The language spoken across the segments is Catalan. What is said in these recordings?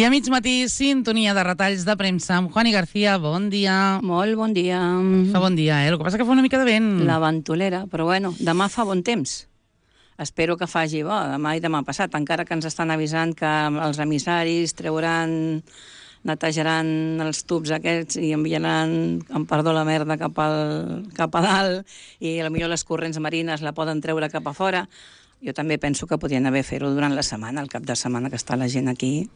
a mig matí, sintonia de retalls de premsa amb Juani García. Bon dia. Molt bon dia. Fa bon dia, El que passa que fa una mica de vent. La ventolera, però bueno, demà fa bon temps. Espero que faci bo, demà i demà passat, encara que ens estan avisant que els emissaris treuran, netejaran els tubs aquests i enviaran, amb perdó la merda, cap a dalt, i potser les corrents marines la poden treure cap a fora. Jo també penso que podrien haver fer-ho durant la setmana, el cap de setmana que està la gent aquí.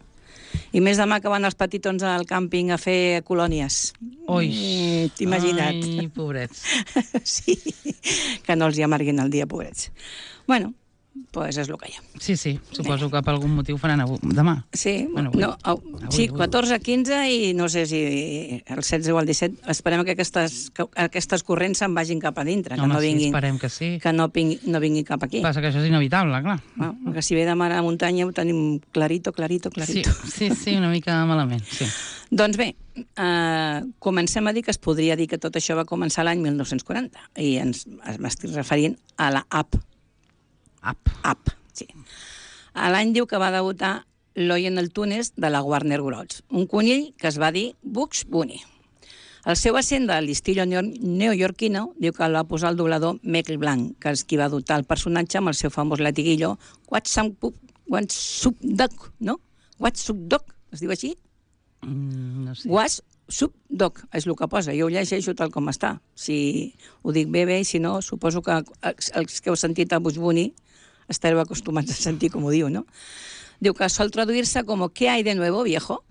I més demà que van els petitons al càmping a fer colònies. Ui. T'imagina't. Ai, pobrets. Sí, que no els hi amarguin el dia, pobrets. Bueno, pues és el que hi ha. Sí, suposo que per algun motiu faran demà. Sí, bueno, sí, 14, 15 i no sé si el 16 o el 17. Esperem que aquestes corrents se'n vagin cap a dintre, que no vinguin, esperem que sí. Que no vinguin cap aquí. Passa que això és inevitable, clar. Que si ve de mar a muntanya ho tenim clarito. Sí, una mica malament, sí. Doncs bé, comencem a dir que es podria dir que tot això va començar l'any 1940 i m'estic referint a la App, sí. A l'any diu que va debutar l'Oi en el túnez de la Warner Bros., un conill que es va dir Bugs Bunny. El seu accent de l'estillo neoyorquino diu que el va posar el doblador Michael Blanc, que és qui va dotar el personatge amb el seu famós latiguillo What's up, Doc, no? What's up, Doc? Es diu així? No sé. What's up, Doc, és el que posa. Jo ho llegeixo tal com està. Si ho dic bé, i si no, suposo que els que heu sentit a Bugs Bunny estareu acostumats a sentir com ho diu, no? Diu que sol traduir-se com ¿Qué hay de nuevo, viejo?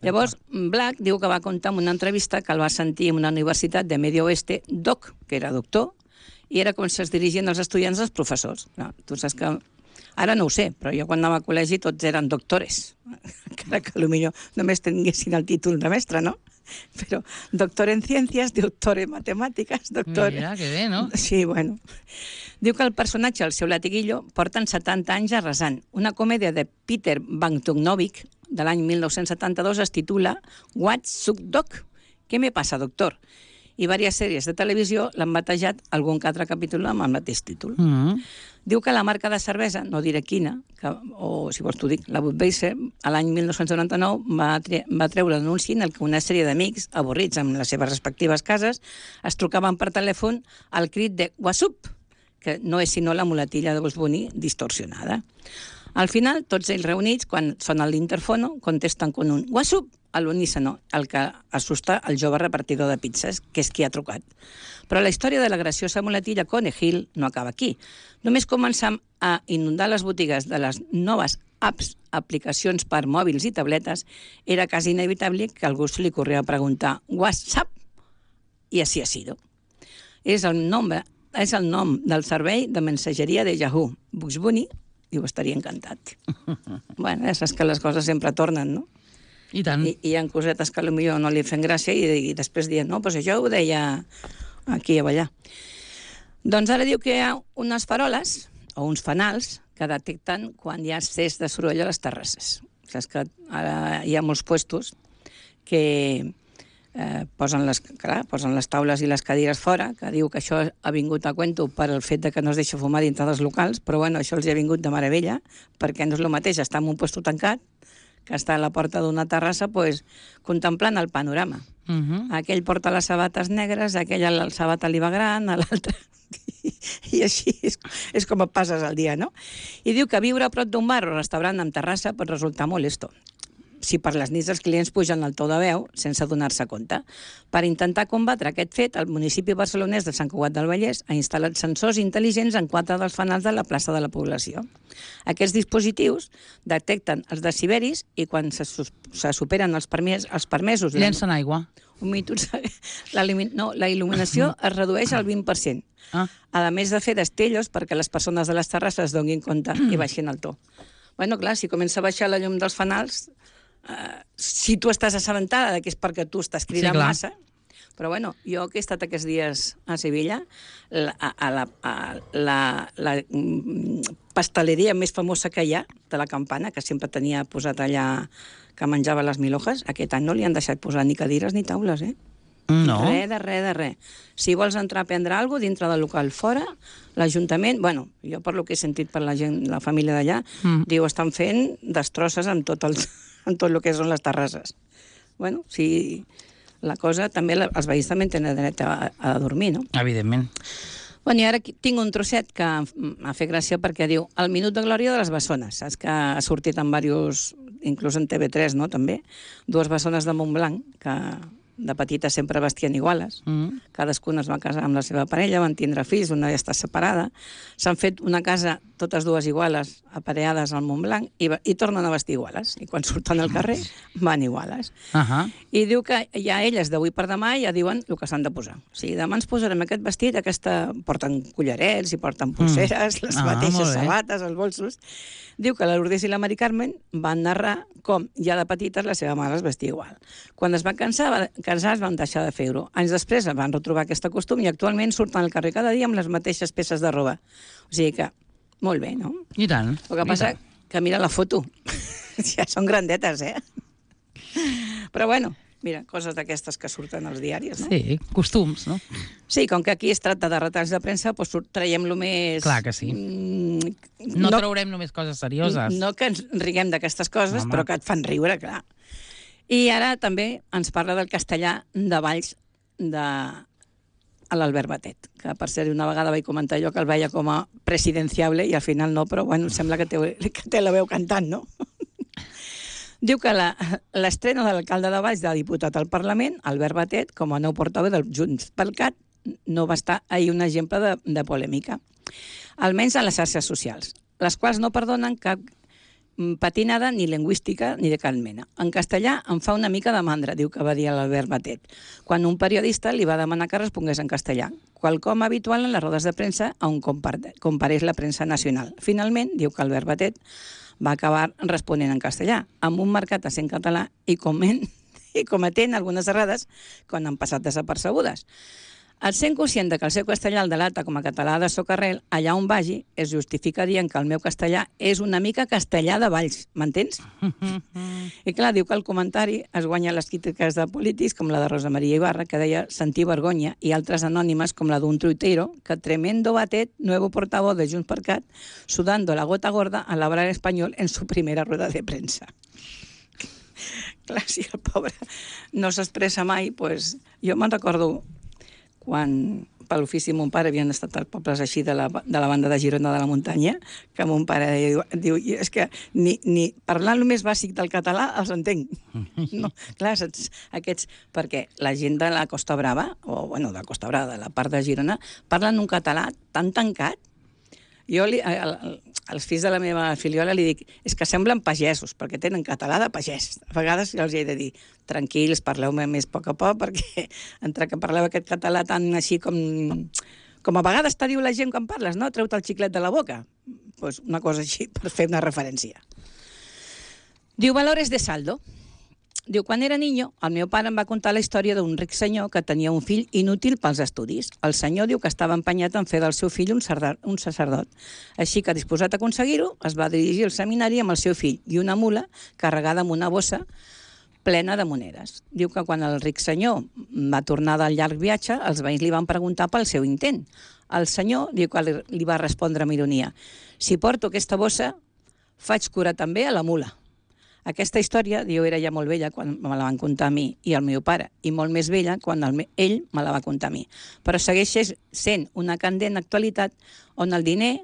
Llavors, Black diu que va contar en una entrevista que el va sentir en una universitat de Medio Oeste, Doc, que era doctor, i era com si es dirigien els estudiants als professors. No, tu saps que... Ara no ho sé, però jo quan anava a col·legi tots eren doctores, encara que potser només tinguessin el títol de mestre, no? Però doctor en ciències, doctor en matemàtiques, doctor... Mira, que bé, no? Sí, bueno. Diu que el personatge, el seu latiguillo, porten 70 anys arrasant. Una comèdia de Peter Bogdanovich de l'any 1972 es titula What's up, Doc? Què me passa, doctor? I diverses sèries de televisió l'han batejat algun que altre capítol amb el mateix títol. Diu que la marca de cervesa, no diré quina, o si vols t'ho dic, la Budweiser, a l'any 1999 va treure l'anunci en el que una sèrie d'amics, avorrits amb les seves respectives cases, es trucaven per telèfon al crit de What's up? Que no és sinó la muletilla de Bugs Bunny distorsionada. Al final, tots ells reunits, quan sona l'interfono, contesten con un What's up? A l'unísono, el que assusta el jove repartidor de pizzas, que és qui ha trucat. Però la història de la graciosa muletilla Conejil no acaba aquí. Només començam a inundar les botigues de les noves apps, aplicacions per mòbils i tabletes, era quasi inevitable que algú se li corria a preguntar WhatsApp, i així ha sido. És el nom del servei de mensageria de Yahoo, Bugs Bunny, i ho estaria encantat. Bueno, saps que les coses sempre tornen, no? I tant. I hi ha cosetes que potser no li fan gràcia i després diuen, no, doncs això ho deia aquí o allà. Doncs ara diu que hi ha unes faroles o uns fanals que detecten quan hi ha excés de soroll a les terrasses. Saps que ara hi ha molts puestos que posen les taules i les cadires fora, que diu que això ha vingut a cuento per el fet de que no es deixa fumar dintre dels locals, però bueno, això els ha vingut de meravella, perquè no és el mateix estar en un puesto tancat que està a la porta d'una terrassa contemplant el panorama. Aquell porta les sabates negres, aquell la sabata li va gran, a l'altre... I així és com et passes el dia, no? I diu que viure a prop d'un bar o restaurant amb terrassa pot resultar molesto si per les nits els clients pugen el to de veu sense donar-se compte. Per intentar combatre aquest fet, el municipi barcelonès de Sant Cugat del Vallès ha instal·lat sensors intel·ligents en 4 dels fanals de la plaça de la població. Aquests dispositius detecten els deciberis i quan se superen els permesos... Llencen aigua. La il·luminació es redueix al 20%. A més de fer destellos perquè les persones de les terrasses donin compte i baixin el to. Bueno, clar, si comença a baixar la llum dels fanals, si tu estàs assabentada que és perquè tu estàs cridant massa, però bueno, jo que he estat aquests dies a Sevilla, la pasteleria més famosa que hi ha, de la Campana, que sempre tenia posat allà que menjava les milojas, aquest any no li han deixat posar ni cadires ni taules, No. Res. Si vols entrar a prendre alguna cosa dintre del local fora, l'Ajuntament, bueno, jo per lo que he sentit per la gent, la família d'allà, diu, estan fent destrosses amb tot en tot el que són les terrasses. Bueno, sí, la cosa també, els veïns també tenen dret a dormir, no? Evidentment. Bueno, i ara tinc un trosset que m'ha fet gràcia perquè diu el minut de glòria de les bessones. Saps que ha sortit en diversos, inclús en TV3, no?, també, dues bessones de Montblanc, que de petites sempre vestien iguales. Cadascuna es va casar amb la seva parella, van tindre fills, una ja està separada. S'han fet una casa, totes dues iguales, apareades al Montblanc, i tornen a vestir iguales. I quan surten al carrer, van iguales. I diu que ja elles, d'avui per demà, ja diuen el que s'han de posar. O sigui, demà ens posarem aquest vestit, porten collarets i porten pulseres, les mateixes sabates, els bolsos. Diu que la Lourdes i la Mari Carmen van narrar com ja de petites la seva mare es vestia igual. Quan es van casar es van deixar de fer-ho. Anys després van retrobar aquest costum i actualment surten al carrer cada dia amb les mateixes peces de roba. O sigui que, molt bé, no? I tant. El que passa que mira la foto. Ja són grandetes, Però bueno, mira, coses d'aquestes que surten als diaris, no? Sí, costums, no? Sí, com que aquí es tracta de retalls de premsa, doncs traiem-lo més... Clar que sí. No traurem només coses serioses. No que ens riguem d'aquestes coses, però que et fan riure, clar. I ara també ens parla del castellà de Valls a l'Albert Batet, que per ser una vegada vaig comentar jo que el veia com a presidenciable i al final no, però bueno, sembla que té la veu cantant, no? Diu que l'estrena de l'alcalde de Valls de diputat al Parlament, Albert Batet, com a nou portaveu del Junts pel Cat, no va estar ahir un exemple de polèmica, almenys a les xarxes socials, les quals no perdonen cap patinada ni lingüística ni de cap mena. En castellà em fa una mica de mandra, diu que va dir l'Albert Batet, quan un periodista li va demanar que respongués en castellà, quelcom habitual en les rodes de premsa on compareix la premsa nacional. Finalment, diu que Albert Batet va acabar responent en castellà, amb un marcat accent català i cometent algunes errades quan han passat desapercebudes. El sent conscient que el seu castellà el delata com a català de socarrel, allà on vagi, es justifica dient que el meu castellà és una mica castellà de Valls, m'entens? I clar, diu que el comentari es guanya les crítiques de polítics com la de Rosa Maria Ibarra, que deia sentir vergonya, i altres anònimes com la d'un tuitero, que tremendo Batet, nuevo portavoz de Junts per Cat, sudando la gota gorda al hablar español en su primera rueda de prensa. Clar, si el pobre no s'expressa mai, doncs jo me'n recordo quan per l'ofici mon pare havien estat als pobles així de la banda de Girona de la Muntanya, que mon pare diu és que ni parlant el més bàsic del català els entenc. No, clar, saps, aquests, perquè la gent de la Costa Brava, o bueno, de la Costa Brava, de la part de Girona, parlen un català tan tancat. Jo als fills de la meva filiola li dic, és que semblen pagesos, perquè tenen català de pagès. A vegades jo els he de dir, tranquils, parleu-me més a poc, perquè entre que parleu aquest català tan així com a vegades te diu la gent quan parles, no? Treu-te el xiclet de la boca. Pues una cosa així, per fer una referència. Diu, valores de saldo. Diu, quan era niño, el meu pare em va contar la història d'un ric senyor que tenia un fill inútil pels estudis. El senyor diu que estava empenyat en fer del seu fill un sacerdot. Així que, disposat a aconseguir-ho, es va dirigir al seminari amb el seu fill i una mula carregada amb una bossa plena de monedes. Diu que quan el ric senyor va tornar del llarg viatge, els veïns li van preguntar pel seu intent. El senyor diu que li va respondre amb ironia, si porto aquesta bossa, faig cura també a la mula. Aquesta història, diu, era ja molt vella quan me la van contar a mi i al meu pare, i molt més vella quan ell me la va contar a mi. Però segueix sent una candent actualitat on el diner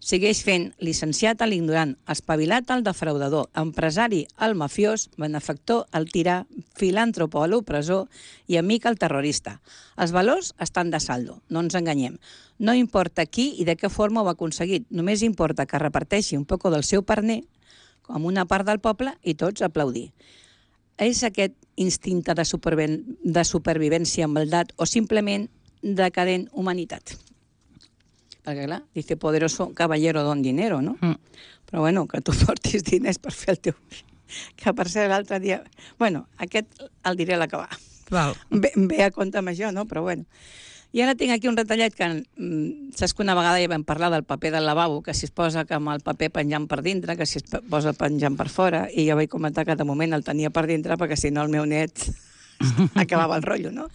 segueix fent licenciat a l'ignorant, espavilat al defraudador, empresari al mafiós, benefactor al tirà, filàntropo a l'opressor i amic al terrorista. Els valors estan de saldo, no ens enganyem. No importa qui i de què forma ho ha aconseguit, només importa que reparteixi un poc del seu parner com una part del poble i tots aplaudir. És aquest instinte de supervivència amb maldat o simplement decadent humanitat? Perquè, clar, dice poderoso caballero don dinero, no? Però, bueno, que tu portis diners per fer el teu... Que, per ser l'altre dia... Bueno, aquest el diré a l'acabar. Ve a compte amb això, no? Però, bueno... I ara tinc aquí un retallet que saps que una vegada ja vam parlar del paper del lavabo, que si es posa amb el paper penjant per dintre, que si es posa penjant per fora, i jo vaig comentar que de moment el tenia per dintre perquè si no el meu net acabava el rotllo, no?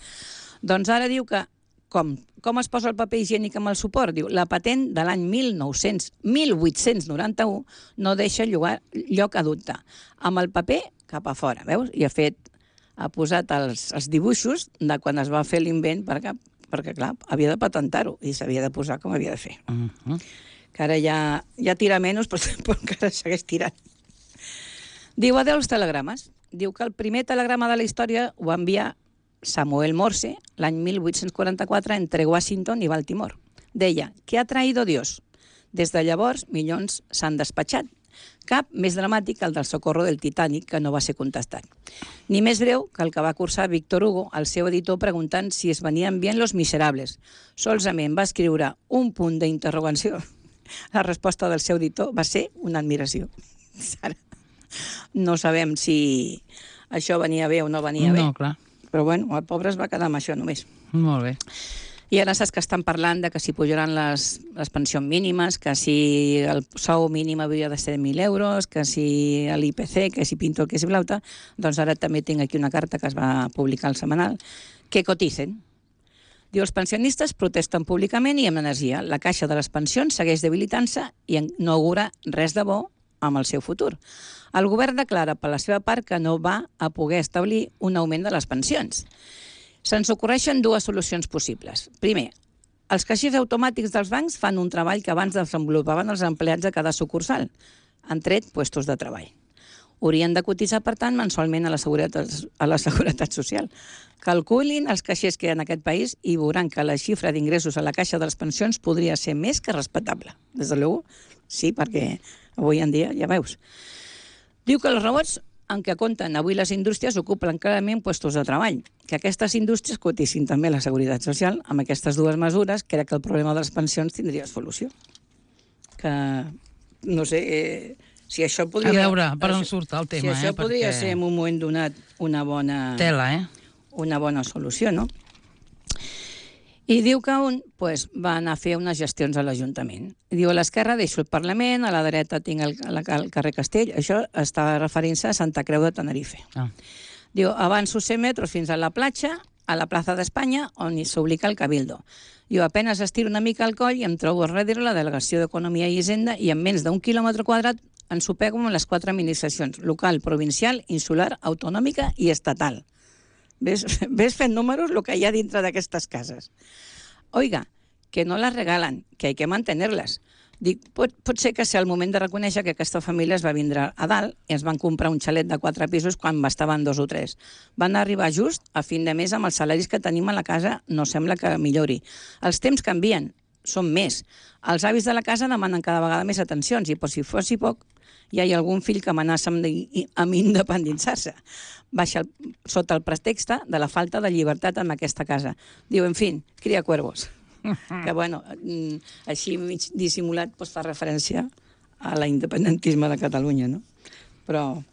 Doncs ara diu que Com es posa el paper higiènic amb el suport? Diu, la patent de l'any 1891 no deixa lloc a dubte. Amb el paper cap a fora, veus? I ha posat els dibuixos de quan es va fer l'invent perquè, clar, havia de patentar-ho i s'havia de posar com havia de fer. Que ara ja tira menys, però encara segueix tirant. Diu, adeu als telegrames. Diu que el primer telegrama de la història ho va enviar Samuel Morse l'any 1844 entre Washington i Baltimore. Deia, ¿qué ha traído Dios? Des de llavors, milions s'han despatxat. Cap més dramàtic que el del Socorro del Titanic, que no va ser contestat. Ni més breu que el que va cursar Víctor Hugo, el seu editor, preguntant si es venien bien Los Miserables. Solament va escriure un punt d'interrogació. La resposta del seu editor va ser una admiració. Ara, no sabem si això venia bé o no venia bé. No, clar. Però bueno, el pobre es va quedar amb això només. Molt bé. I ara saps que estan parlant de que si pujaran les pensions mínimes, que si el sou mínim hauria de ser 1.000 euros, que si l'IPC, que si pinto, que si blauta, doncs ara també tinc aquí una carta que es va publicar al setmanal, que coticen. Diu, els pensionistes protesten públicament i amb energia. La caixa de les pensions segueix debilitant-se i no augura res de bo amb el seu futur. El govern declara per la seva part que no va a poder establir un augment de les pensions. Se'ns ocorreixen dues solucions possibles. Primer, els caixers automàtics dels bancs fan un treball que abans desenvolupaven els empleats de cada sucursal. Han tret puestos de treball. Haurien de cotitzar, per tant, mensualment a la Seguretat Social. Calculin els caixers que hi ha en aquest país i veuran que la xifra d'ingressos a la caixa de les pensions podria ser més que respectable. Des de luego, sí, perquè avui en dia, ja veus. Diu que els robots en què compten avui les indústries ocupen clarament puestos de treball. Que aquestes indústries cotitzin també la Seguretat Social. Amb aquestes dues mesures, crec que el problema de les pensions tindria solució. Que, no sé, si això podria... A veure, per on surt el tema, si això podria ser en un moment donat una bona... Tela, una bona solució, no? I diu que un va anar a fer unes gestions a l'Ajuntament. Diu, a l'esquerra deixo el Parlament, a la dreta tinc el carrer Castell. Això està referint-se a Santa Creu de Tenerife. Diu, avanço 100 metres fins a la platja, a la plaça d'Espanya, on s'oblica el Cabildo. Diu, apenas estiro una mica el coll i em trobo a darrere la Delegació d'Economia i Hisenda i en menys d'un quilòmetre quadrat ens sopego amb les 4 administracions, local, provincial, insular, autonòmica i estatal. Ves fent números el que hi ha dintre d'aquestes cases. Oiga, que no les regalen, que hay que mantenerles. Dic, pot ser que sigui el moment de reconèixer que aquesta família es va vindre a dalt i ens van comprar un xalet de 4 pisos quan bastaven 2 o 3. Van arribar just a fin de mes amb els salaris que tenim a la casa, no sembla que millori. Els temps canvien, són més. Els avis de la casa demanen cada vegada més atencions i, per si fos poc, hi ha algun fill que amenaça amb independitzar-se. Baixa sota el pretext de la falta de llibertat en aquesta casa. Diu, en fi, cria cuervos. Que, bueno, així mig dissimulat fa referència a l'independentisme de Catalunya, no? Però,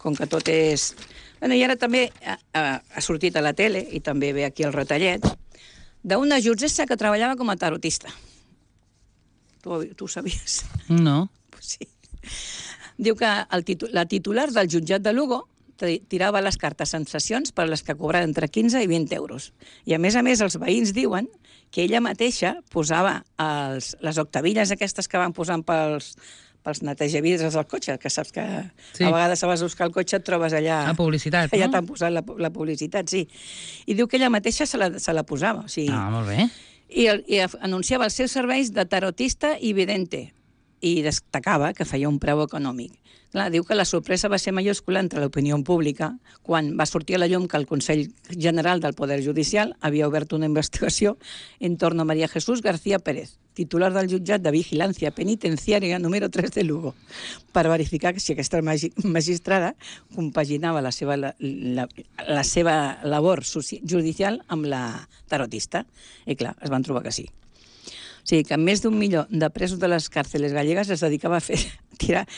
com que tot és... Bueno, i ara també ha sortit a la tele, i també ve aquí el retallet, d'una jutgessa que treballava com a tarotista. Tu ho sabies? No. Sí. Diu que la titular del jutjat de Lugo tirava les cartes en sessions per les que cobrava entre 15 i 20 euros. I a més, els veïns diuen que ella mateixa posava les octavilles aquestes que van posant pels netejavidres del cotxe, que saps que sí. A vegades vas a buscar el cotxe et trobes allà... La publicitat, allà t'han posat la publicitat, sí. I diu que ella mateixa se la posava. O sigui, molt bé. I anunciava els seus serveis de tarotista i vidente. I destacava que feia un preu econòmic. Clar, diu que la sorpresa va ser majúscula entre l'opinió pública quan va sortir a la llum que el Consell General del Poder Judicial havia obert una investigació en torno a María Jesús García Pérez, titular del jutjat de Vigilància Penitenciària número 3 de Lugo, per verificar si aquesta magistrada compaginava la seva labor judicial amb la tarotista. I clar, es van trobar que sí. O sigui, que més d'1 milió de presos de les càrceles gallegues es dedicava a tirar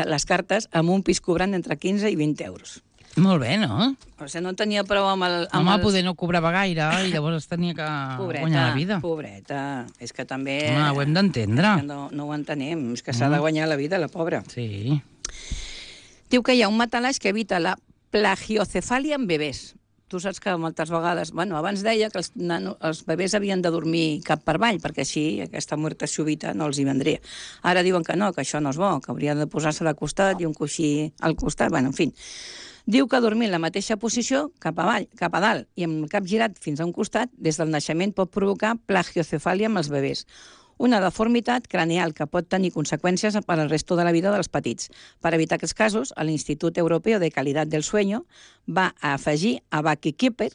les cartes amb un pis cobrant entre 15 i 20 euros. Molt bé, no? O sigui, no tenia prou amb el... Poder no cobrava gaire i llavors es tenia que guanyar la vida. Pobreta, és que també... Ho hem d'entendre. No ho entenem, és que s'ha de guanyar la vida, la pobra. Sí. Diu que hi ha un matalàs que evita la plagiocefalia en bebès. tu saps que moltes vegades... Bueno, abans deia que els bebès havien de dormir cap per avall, perquè així aquesta muerte súbita no els hi vendria. Ara diuen que no, que això no és bo, que hauria de posar-se de costat i un coixí al costat. Bueno, en fi. Diu que dormir en la mateixa posició, cap avall, cap a dalt, i amb el cap girat fins a un costat, des del naixement pot provocar plagiocefàlia amb els bebès, una deformitat cranial que pot tenir conseqüències per al resto de la vida dels petits. Per evitar aquests casos, l'Institut Europeu de Qualitat del Sueño va afegir a Buckykeeper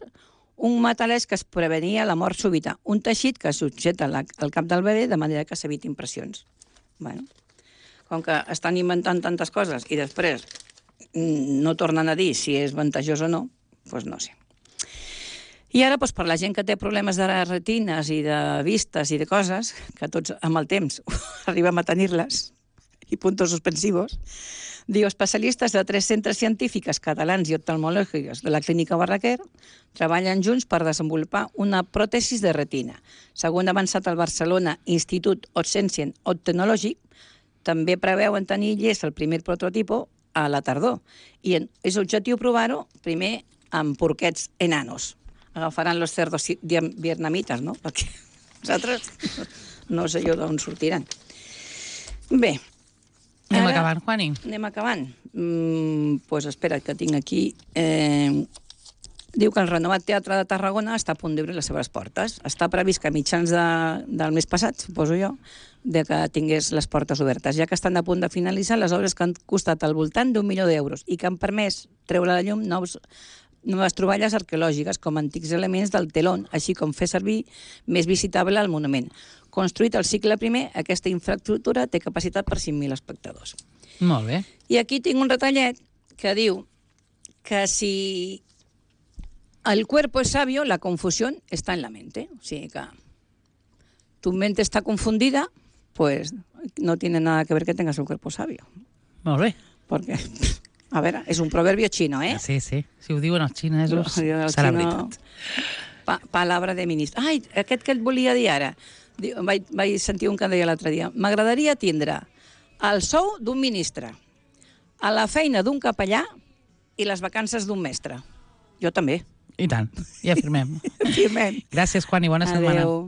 un metalès que es prevenia la mort súbita, un teixit que subjeta el cap del bebè de manera que s'eviti impressions. Bueno, com que estan inventant tantes coses i després no tornen a dir si és vantajós o no, doncs no sé. I ara, per la gent que té problemes de retines i de vistes i de coses, que tots amb el temps arribem a tenir-les, i puntos suspensivos, diu, especialistes de 3 centres científics catalans i oftalmològics de la Clínica Barraquer treballen junts per desenvolupar una pròtesis de retina. Segons ha avançat el Barcelona Institut Otsensien Optològic, també preveuen tenir llest el primer prototipo a la tardor. I és objectiu provar-ho primer amb porquets enanos. Agafaran los cerdos vietnamites, no? Perquè nosaltres no sé jo d'on sortiran. Bé. Anem acabant, Juani. Anem acabant. Doncs espera, que tinc aquí... Diu que el renovat Teatre de Tarragona està a punt d'obrir les seves portes. Està previst que a mitjans del mes passat, suposo jo, de que tingués les portes obertes, ja que estan a punt de finalitzar les obres que han costat al voltant d'1 milió d'euros i que han permès treure a la llum noves troballes arqueològiques com antics elements del telón, així com fer servir més visitable el monument. Construït al segle I, aquesta infraestructura té capacitat per 5.000 espectadors. Molt bé. I aquí tinc un retallet que diu que si el cuerpo es sabio, la confusión está en la mente. O sigui que tu mente está confundida, pues no tiene nada que ver que tengas el cuerpo sabio. Molt bé. Perquè... A veure, és un proverbio xino, eh? Sí, sí. Si ho diuen els xinesos, serà veritat. Palabra de ministre. Ai, aquest que et volia dir ara. Vaig sentir un que deia l'altre dia. M'agradaria tindre el sou d'un ministre, a la feina d'un capellà i les vacances d'un mestre. Jo també. I tant. Ja firmem. Firmem. Gràcies, Juan, i bona setmana. Adéu.